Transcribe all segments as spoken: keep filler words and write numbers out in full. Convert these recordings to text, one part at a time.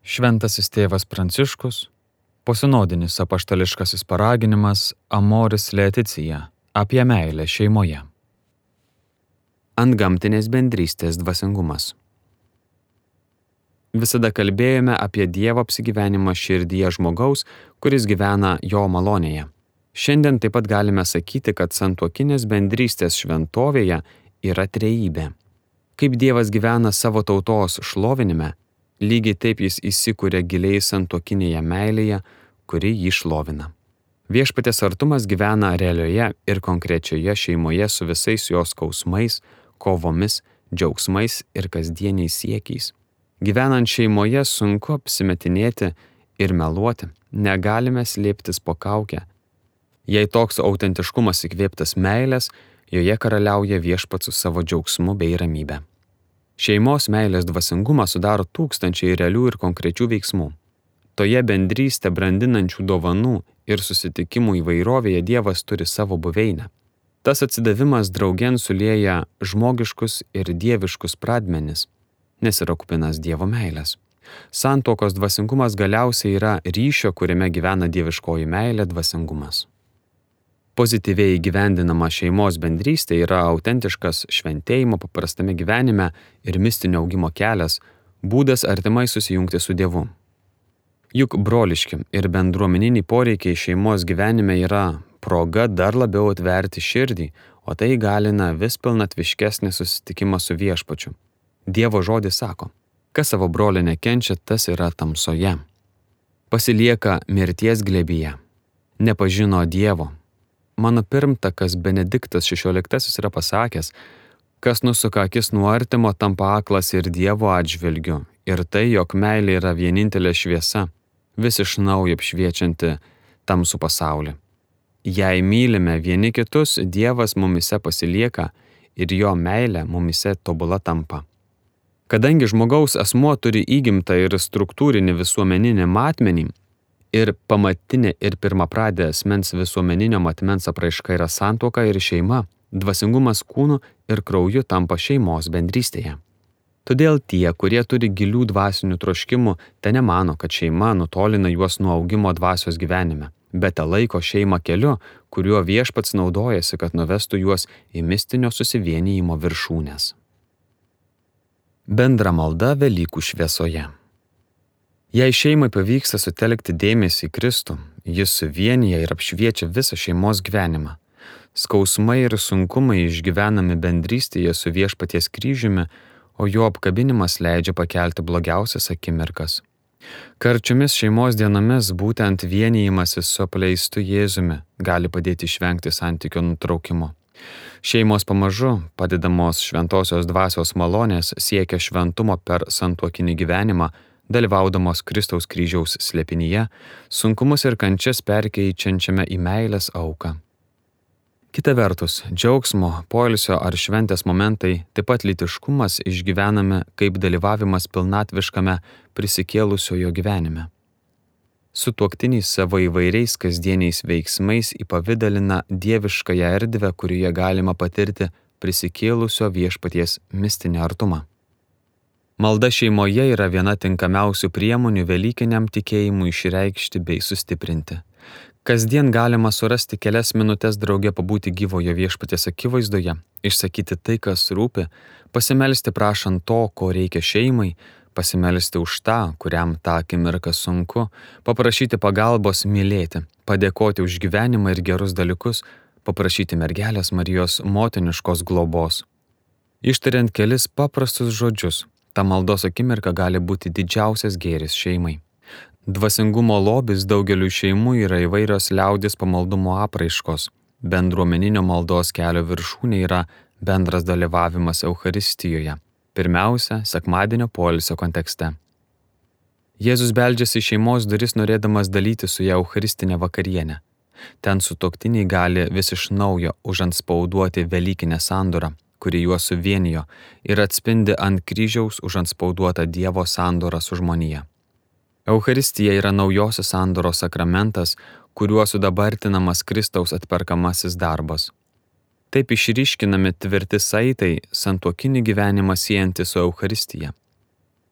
Šventasis tėvas Pranciškus, posinodinis apaštališkasis paraginimas Amoris Laetitia apie meilę šeimoje. Antgamtinės bendrystės dvasingumas. Visada kalbėjome apie Dievo apsigyvenimą širdyje žmogaus, kuris gyvena jo malonėje. Šiandien taip pat galime sakyti, kad santuokinės bendrystės šventovėje yra trejybė. Kaip Dievas gyvena savo tautos šlovinime, lygiai taip jis įsikuria giliai santuokinėje meilėje, kuri jį šlovina. Viešpaties artumas gyvena realioje ir konkrečioje šeimoje su visais jos skausmais, kovomis, džiaugsmais ir kasdieniais siekiais. Gyvenant šeimoje sunku apsimetinėti ir meluoti, negalime slėptis po kaukę. Jei toks autentiškumas įkvėptas meilės, joje karaliauja viešpats su savo džiaugsmu bei ramybe. Šeimos meilės dvasingumą sudaro tūkstančiai realių ir konkrečių veiksmų. Toje bendrystę brandinančių dovanų ir susitikimų įvairovėje Dievas turi savo buveinę. Tas atsidavimas draugėn sulieja žmogiškus ir dieviškus pradmenis, nes yra kupinas Dievo meilės. Santuokos dvasingumas galiausiai yra ryšio, kuriame gyvena dieviškoji meilė dvasingumas. Pozityviai įgyvendinama šeimos bendrystė yra autentiškas šventėjimo paprastame gyvenime ir mistinio augimo kelias, būdas artimai susijungti su Dievu. Juk broliški ir bendruomeniniai poreikiai šeimos gyvenime yra proga dar labiau atverti širdį, o tai įgalina vis pilnatviškesnį susitikimą su viešpačiu. Dievo žodis sako, kas savo brolį nekenčia, tas yra tamsoje. Pasilieka mirties glėbyje, nepažino Dievo. Mano pirmtakas Benediktas šešioliktasis yra pasakęs, kas nusuka akis nuo artimo, tampa aklas ir Dievo atžvilgiu, ir tai, jog meilė yra vienintelė šviesa, vis iš naujo apšviečianti tamsų pasaulį. Jei mylime vieni kitus, Dievas mumise pasilieka ir jo meilė mumise tobula tampa. Kadangi žmogaus asmuo turi įgimtą ir struktūrinį visuomeninį matmenį, ir pamatinė ir pirmapradė asmens visuomeninio matmens apraiška yra santuoka ir šeima, dvasingumas kūnu ir krauju tampa šeimos bendrystėje. Todėl tie, kurie turi gilių dvasinių troškimų, te nemano, kad šeima nutolina juos nuo augimo dvasios gyvenime, bet te laiko šeimą keliu, kuriuo viešpats naudojasi, kad nuvestų juos į mistinio susivienijimo viršūnes. Bendra malda Velykų šviesoje. Jei šeimai pavyksta sutelkti dėmesį į Kristų, jis suvienyje ir apšviečia visą šeimos gyvenimą. Skausmai ir sunkumai išgyvenami bendrystėje su viešpaties kryžiumi, o jo apkabinimas leidžia pakelti blogiausias akimirkas. Karčiomis šeimos dienomis būtent vienijimasis su apleistu Jėzumi gali padėti išvengti santykio nutraukimo. Šeimos pamažu, padedamos šventosios dvasios malonės, siekia šventumo per santuokinį gyvenimą, dalyvaudamos Kristaus kryžiaus slėpinyje, sunkumus ir kančias perkeičiančiame į meilės auką. Kita vertus, džiaugsmo, poilsio ar šventės momentai, taip pat lytiškumas išgyvename kaip dalyvavimas pilnatviškame prisikėlusiojo gyvenime. Sutuoktiniai savo įvairiais kasdieniais veiksmais įpavidalina dieviškąją erdvę, kurioje galima patirti prisikėlusio viešpaties mistinį artumą. Malda šeimoje yra viena tinkamiausių priemonių velykiniam tikėjimui išreikšti bei sustiprinti. Kasdien galima surasti kelias minutės drauge pabūti gyvojo viešpaties akivaizdoje, išsakyti tai, kas rūpi, pasimelsti prašant to, ko reikia šeimai, pasimelsti už tą, kuriam tą akimirką sunku, paprašyti pagalbos mylėti, padėkoti už gyvenimą ir gerus dalykus, paprašyti mergelės Marijos motiniškos globos. Ištariant kelis paprastus žodžius, ta maldos akimirka gali būti didžiausias gėris šeimai. Dvasingumo lobis daugeliu šeimų yra įvairios liaudis pamaldumo apraiškos. Bendruomeninio maldos kelio viršūnė yra bendras dalyvavimas Eucharistijoje. Pirmiausia, sekmadienio poilsio kontekste. Jėzus beldžiasi į šeimos duris norėdamas dalyti su ją eucharistinę vakarienę. Ten sutuoktiniai gali vis iš naujo užantspauduoti velykinę sandorą, kuri juos suvienijo ir atspindi ant kryžiaus užantspauduotą Dievo sandorą su žmonija. Eucharistija yra naujosios sandoros sakramentas, kuriuo sudabartinamas Kristaus atperkamasis darbas. Taip išryškinami tvirti saitai santuokinį gyvenimą siejanti su Eucharistija.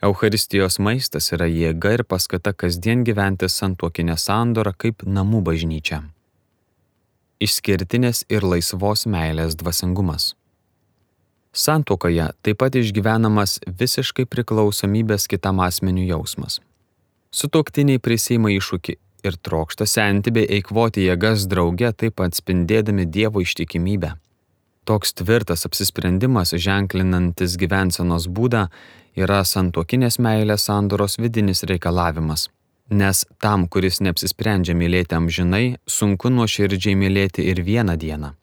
Eucharistijos maistas yra jėga ir paskata kasdien gyventi santuokinę sandorą kaip namų bažnyčia. Išskirtinės ir laisvos meilės dvasingumas. Santuokoje taip pat išgyvenamas visiškai priklausomybės kitam asmeniui jausmas. Sutuoktiniai prisiima iššūkį ir trokšta senti bei eikvoti jėgas drauge, taip pat spindėdami Dievo ištikimybę. Toks tvirtas apsisprendimas, ženklinantis gyvensenos būdą, yra santuokinės meilės sandoros vidinis reikalavimas. Nes tam, kuris neapsisprendžia mylėti amžinai, sunku nuoširdžiai mylėti ir vieną dieną.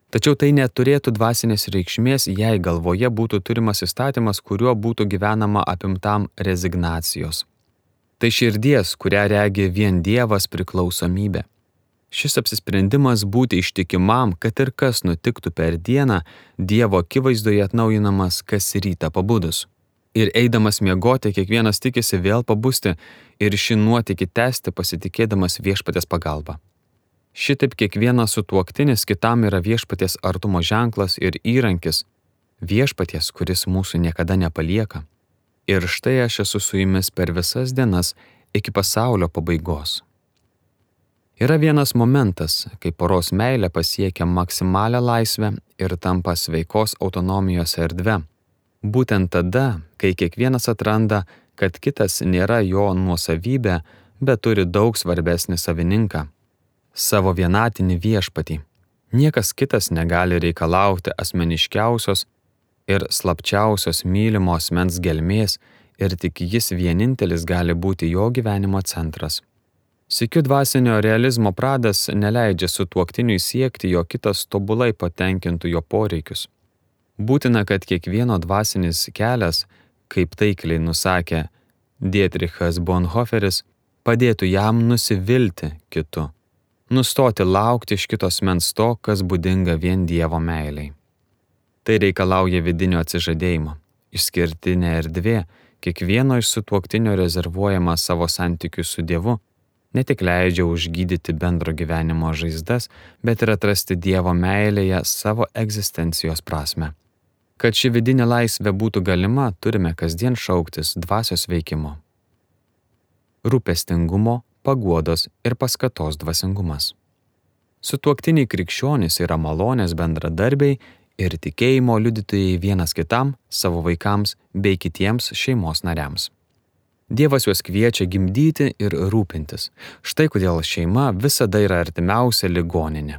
Tačiau tai neturėtų dvasinės reikšmės, jei galvoje būtų turimas įstatymas, kuriuo būtų gyvenama apimtam rezignacijos. Tai širdies, kurią regi vien Dievas, priklausomybė. Šis apsisprendimas būti ištikimam, kad ir kas nutiktų per dieną, Dievo akivaizdoje atnaujinamas kas rytą pabudus. Ir eidamas miegoti, kiekvienas tikisi vėl pabusti ir šį nuotykį tęsti pasitikėdamas viešpaties pagalba. Šitaip kiekvienas sutuoktinis kitam yra viešpaties artumo ženklas ir įrankis, viešpaties, kuris mūsų niekada nepalieka. Ir štai aš esu su jumis per visas dienas iki pasaulio pabaigos. Yra vienas momentas, kai poros meilė pasiekia maksimalią laisvę ir tampa sveikos autonomijos erdve. Būtent tada, kai kiekvienas atranda, kad kitas nėra jo nuosavybė, bet turi daug svarbesnį savininką – savo vienatinį viešpatį. Niekas kitas negali reikalauti asmeniškiausios ir slapčiausios mylimo asmens gelmės ir tik jis vienintelis gali būti jo gyvenimo centras. Sykiu dvasinio realizmo pradas neleidžia sutuoktiniui siekti, jo kitas tobulai patenkintų jo poreikius. Būtina, kad kiekvieno dvasinis kelias, kaip taikliai nusakė Dietrichas Bonhoefferis, padėtų jam nusivilti kitu, nustoti laukti iš kitos mens to, kas būdinga vien Dievo meiliai. Tai reikalauja vidinio atsižadėjimo, išskirtinė erdvė, kiekvieno iš sutuoktinio rezervuojama savo santykių su Dievu, ne tik leidžia užgydyti bendro gyvenimo žaizdas, bet ir atrasti Dievo meilėje savo egzistencijos prasme. Kad ši vidinė laisvė būtų galima, turime kasdien šauktis dvasios veikimo. Rūpestingumo, paguodos ir paskatos dvasingumas. Sutuoktiniai krikščionys yra malonės bendradarbiai ir tikėjimo liudytojai vienas kitam, savo vaikams bei kitiems šeimos nariams. Dievas juos kviečia gimdyti ir rūpintis. Štai kodėl šeima visada yra artimiausia ligoninė.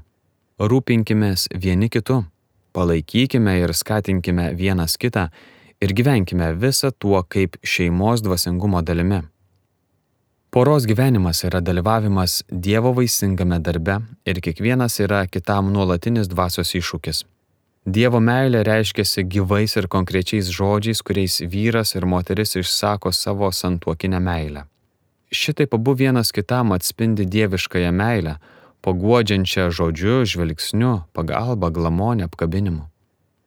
Rūpinkimės vieni kitu, palaikykime ir skatinkime vienas kitą ir gyvenkime visą tuo kaip šeimos dvasingumo dalimi. Poros gyvenimas yra dalyvavimas Dievo vaisingame darbe ir kiekvienas yra kitam nuolatinis dvasios iššūkis. Dievo meilė reiškiasi gyvais ir konkrečiais žodžiais, kuriais vyras ir moteris išsako savo santuokinę meilę. Šitaip abu vienas kitam atspindi dieviškąją meilę, paguodžiančią žodžiu, žvilgsniu, pagalba, glamonė, apkabinimu.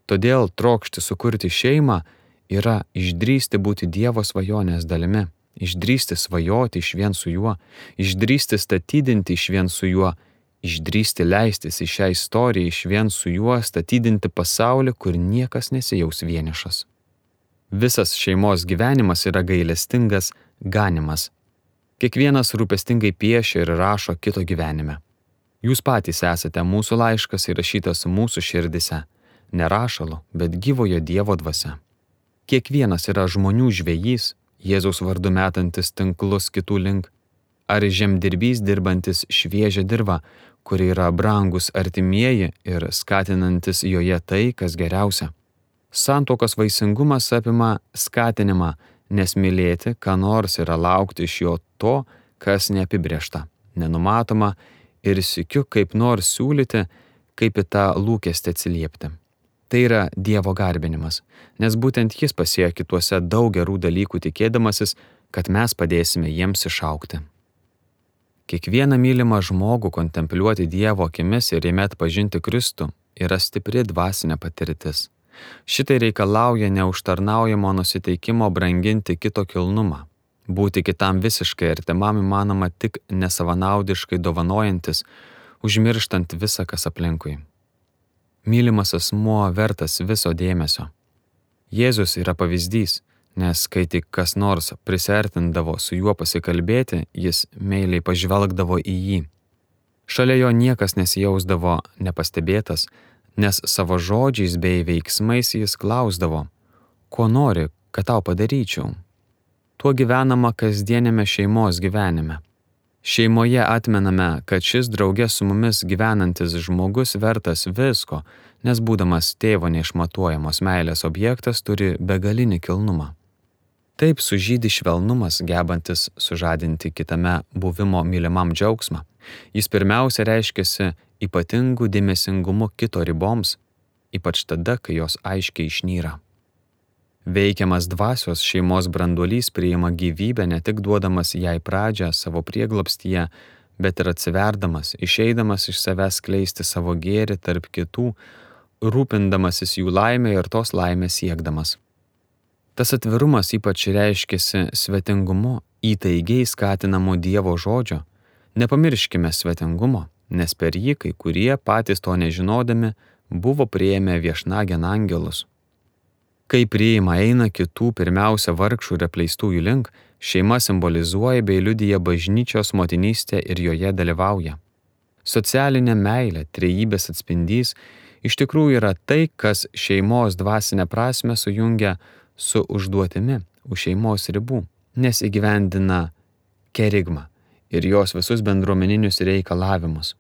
Todėl trokšti sukurti šeimą yra išdrįsti būti Dievo svajonės dalimi, išdrįsti svajoti išvien su juo, išdrįsti statydinti išvien su juo, išdrįsti leistis į šią istoriją išvien su juo, statydinti pasaulį, kur niekas nesijaus vienišas. Visas šeimos gyvenimas yra gailestingas ganimas. Kiekvienas rūpestingai piešia ir rašo kito gyvenime. Jūs patys esate mūsų laiškas įrašytas mūsų širdise, ne rašalu, bet gyvojo Dievo dvasia. Kiekvienas yra žmonių žvejys, Jėzaus vardu metantis tinklus kitų link, ar žemdirbys dirbantis šviežią dirvą, kuri yra brangus artimieji ir skatinantis joje tai, kas geriausia. Santuokos vaisingumas apima skatinimą, nes mylėti, ką nors yra laukti iš jo to, kas neapibrėžta, nenumatoma ir sykiu kaip nors siūlyti, kaip į tą lūkestį atsiliepti. Tai yra Dievo garbinimas, nes būtent jis pasėjo kituose daug gerų dalykų tikėdamasis, kad mes padėsime jiems išaugti. Kiekvieną mylimą žmogų kontempliuoti Dievo akimis ir jame atpažinti Kristų yra stipri dvasinė patirtis. Šitai reikalauja neužtarnaujamo nusiteikimo branginti kito kilnumą. Būti kitam visiškai artimam įmanoma tik nesavanaudiškai dovanojantis, užmirštant visą, kas aplinkui. Mylimas asmuo vertas viso dėmesio. Jėzus yra pavyzdys, nes kai tik kas nors prisertindavo su juo pasikalbėti, jis meiliai pažvelgdavo į jį. Šalia jo niekas nesijausdavo nepastebėtas, nes savo žodžiais bei veiksmais jis klausdavo, ko nori, kad tau padaryčiau. Tuo gyvenama kasdienėme šeimos gyvenime. Šeimoje atmename, kad šis drauge su mumis gyvenantis žmogus vertas visko, nes būdamas tėvo neišmatuojamos meilės objektas turi begalinį kilnumą. Taip sužydi švelnumas, gebantis sužadinti kitame buvimo mylimam džiaugsmą. Jis pirmiausia reiškiasi ypatingu dėmesingumu kito riboms, ypač tada, kai jos aiškiai išnyra. Veikiamas dvasios šeimos branduolys priima gyvybę ne tik duodamas jai pradžią savo prieglobstyje, bet ir atsiverdamas, išeidamas iš savęs skleisti savo gėrį tarp kitų, rūpindamasis jų laimę ir tos laimės siekdamas. Tas atvirumas ypač reiškiasi svetingumu, įtaigiai skatinamu Dievo žodžio. Nepamirškime svetingumo, nes per jį kai kurie patys to nežinodami buvo priėmę viešnagėn angelus. Kai priima eina kitų pirmiausia vargšų ir apleistųjų link, šeima simbolizuoja bei liudija bažnyčios motinystę ir joje dalyvauja. Socialinė meilė, trejybės atspindys, iš tikrųjų yra tai, kas šeimos dvasinę prasmę sujungia su užduotimi už šeimos ribų, nes įgyvendina kerigmą ir jos visus bendruomeninius reikalavimus.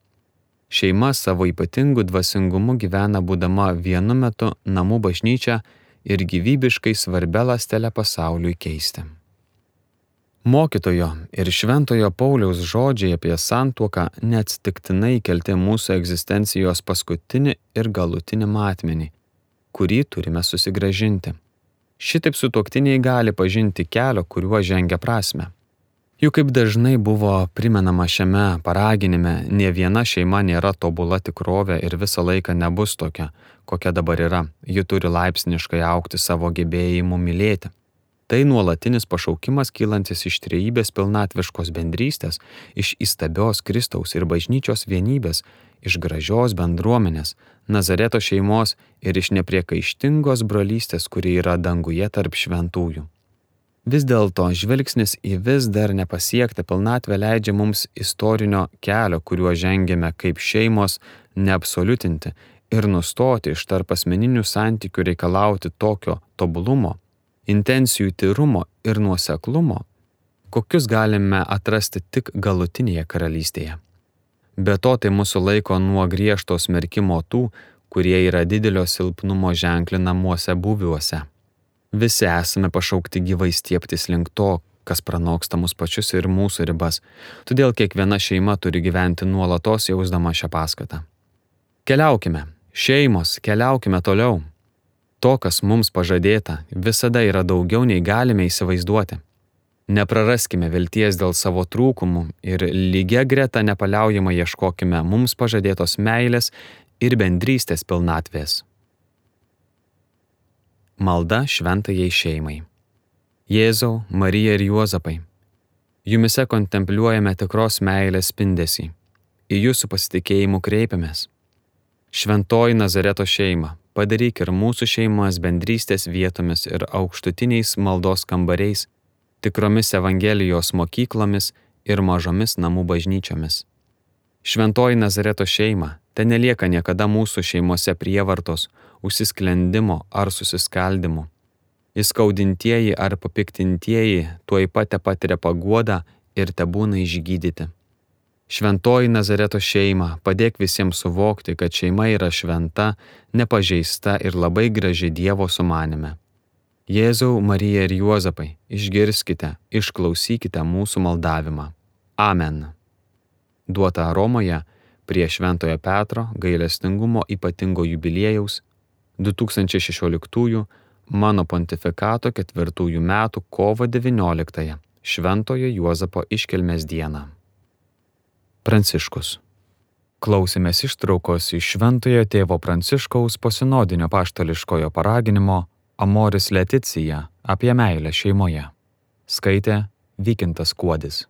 Šeima savo ypatingu dvasingumu gyvena būdama vienu metu namų bažnyčia ir gyvybiškai svarbia ląstele pasauliui keisti. Mokytojo ir šventojo Pauliaus žodžiai apie santuoką neatsitiktinai kelti mūsų egzistencijos paskutinį ir galutinį matmenį, kurį turime susigrąžinti. Šitaip sutuoktiniai gali pažinti kelio, kuriuo žengia prasmę. Juk kaip dažnai buvo primenama šiame paraginime, nė viena šeima nėra tobula tikrovė ir visą laiką nebus tokia, kokia dabar yra. Ji turi laipsniškai augti savo gebėjimu mylėti. Tai nuolatinis pašaukimas kylantis iš trejybės pilnatviškos bendrystės, iš įstabios Kristaus ir bažnyčios vienybės, iš gražios bendruomenės, Nazareto šeimos ir iš nepriekaištingos brolystės, kuri yra danguje tarp šventųjų. Vis dėlto žvilgsnis į vis dar nepasiektą pilnatvę leidžia mums istorinio kelio, kuriuo žengėme kaip šeimos, neabsoliutinti ir nustoti iš tarp asmeninių santykių reikalauti tokio tobulumo, intencijų tyrumo ir nuoseklumo, kokius galime atrasti tik galutinėje karalystėje. Be to tai mūsų laiko nuo griežto smerkimo tų, kurie yra didelio silpnumo ženklinamuose būviuose. Visi esame pašaukti gyvai stiebtis link to, kas pranoksta mus pačius ir mūsų ribas. Todėl kiekviena šeima turi gyventi nuolatos jausdama šią paskatą. Keliaukime, šeimos, keliaukime toliau. To, kas mums pažadėta, visada yra daugiau nei galime įsivaizduoti. Nepraraskime vilties dėl savo trūkumų ir lygia greta nepaliaujamai ieškokime mums pažadėtos meilės ir bendrystės pilnatvės. Malda šventajai šeimai. Jėzau, Marija ir Juozapai, jumise kontempliuojame tikros meilės spindesį. Į jūsų pasitikėjimu kreipiamės. Šventoji Nazareto šeima, padaryk ir mūsų šeimas bendrystės vietomis ir aukštutiniais maldos kambariais, tikromis Evangelijos mokyklomis ir mažomis namų bažnyčiomis. Šventoji Nazareto šeima, ten nelieka niekada mūsų šeimose prievartos, užsisklendimo ar susiskaldimo. Įskaudintieji ar papiktintieji tuoj pat patiria paguodą ir tebūna išgydyti. Šventoji Nazareto šeima, padėk visiems suvokti, kad šeima yra šventa, nepažeista ir labai graži Dievo sumanime. Jėzau, Marija ir Juozapai, išgirskite, išklausykite mūsų maldavimą. Amen. Duota Romoje prie Šventojo Petro gailestingumo ypatingo jubiliejaus du tūkstančiai šešioliktųjų mano pontifikato ketvirtųjų metų kovo devynioliktąją Šventojo Juozapo iškilmės dieną. Pranciškus. Klausėmės ištraukos iš Šventojo tėvo Pranciškaus posinodinio apaštališkojo paraginimo Amoris Laetitia apie meilę šeimoje. Skaitė Vykintas Kuodis.